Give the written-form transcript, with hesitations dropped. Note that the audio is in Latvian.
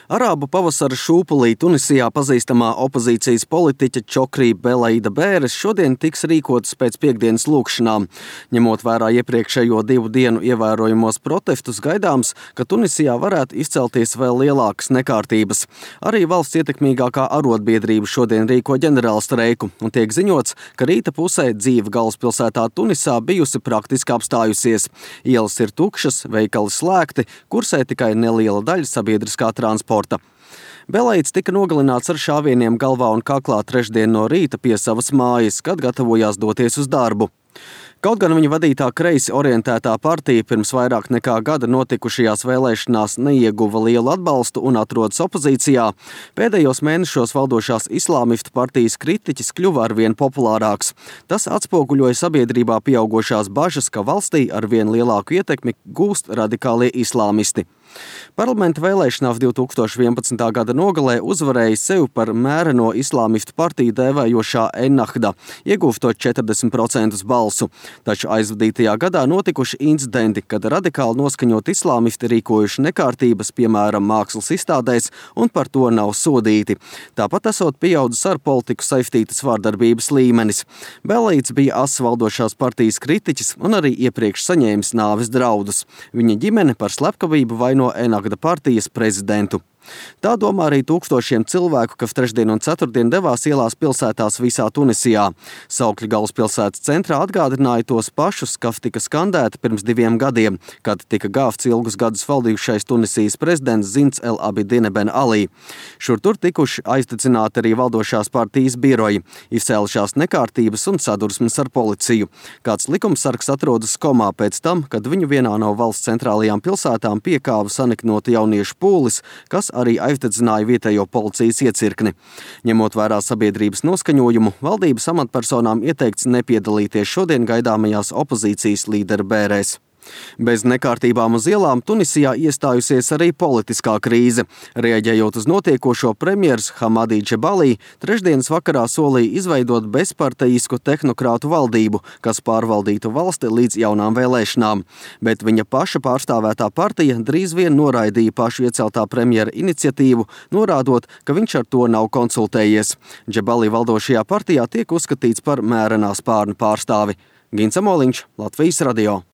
Arābu pavasara šūpulī Tunisijā pazīstamā opozīcijas politiķe Čokrī Belaida Bēres šodien tiks rīkotas pēc piektdienas lūgšanām. Ņemot vērā iepriekšējo 2 dienu ievērojamos protestus, gaidāms, ka Tunisijā varētu izcelties vēl lielākas nekārtības. Arī valsts ietekmīgākā arotbiedrība šodien rīko ģenerālstreiku, un tiek ziņots, ka rīta pusē dzīve galvaspilsētā Tunisā bijusi praktiski apstājusies. Ielas ir tukšas, veikali slēgti, kursē tikai neliela daļa sabiedriskā transporta. Belaids tika nogalināts ar šāvieniem galvā un kaklā trešdien no rīta pie savas mājas, kad gatavojās doties uz darbu. Kaut gan viņa vadītā kreisi orientētā partija pirms vairāk nekā gada notikušajās vēlēšanās neieguva lielu atbalstu un atrodas opozīcijā, pēdējos mēnešos valdošās islāmistu partijas kritiķis kļuva arvien populārāks. Tas atspoguļoja sabiedrībā pieaugošās bažas, ka valstī arvien lielāku ietekmi gūst radikālie islāmisti. Parlamenta vēlēšanās 2011. gada nogalē uzvarēja sevi par mēreno islāmistu partiju dēvējošā Ennahda, iegūstot 40% balsu. Taču aizvadītajā gadā notikuši incidenti, kad radikāli noskaņot islāmisti rīkojuši nekārtības, piemēram, mākslas izstādēs, un par to nav sodīti. Tāpat esot pieaudzis ar politiku saistītas vārdarbības līmenis. Belaids bija asas valdošās partijas kritiķis un arī iepriekš saņēmis nāves draudus. Viņa ģimene par slepkavību vaino Ennahda partijas prezidentu. Tā domā arī tūkstošiem cilvēku, kas trešdien un ceturtdien devās ielās pilsētās visā Tunisijā. Saukļi galvaspilsētas centrā atgādināja tos pašus, kas tika skandēti pirms 2 gadiem, kad tika gāvts ilgus gadus valdījušais Tunisijas prezidents Zins El Abidine Ben Ali. Šur tur tikuši aizdedzināti arī valdošās partijas biroji, izcēlušās nekārtības un sadursmes ar policiju. Kāds likumsargs atrodas komā pēc tam, kad viņu vienā no valsts centrālajām pilsētām piekāva saniknota jauniešu pūlis, kas arī aizdedzināja vietējo policijas iecirkni. Ņemot vērā sabiedrības noskaņojumu, valdības amatpersonām ieteikts nepiedalīties šodien gaidāmajās opozīcijas līdera bērēs. Bez nekārtībām uz ielām Tunisijā iestājusies arī politiskā krīze. Reaģējot uz notiekošo, premjers Hamadi Džebali trešdienas vakarā solīja izveidot bezpartejisku tehnokrātu valdību, kas pārvaldītu valsti līdz jaunām vēlēšanām. Bet viņa paša pārstāvētā partija drīz vien noraidīja pašu ieceltā premjera iniciatīvu, norādot, ka viņš ar to nav konsultējies. Džebali valdošajā partijā tiek uzskatīts par mērenā spārna pārstāvi. Gins Amoliņš, Latvijas radio.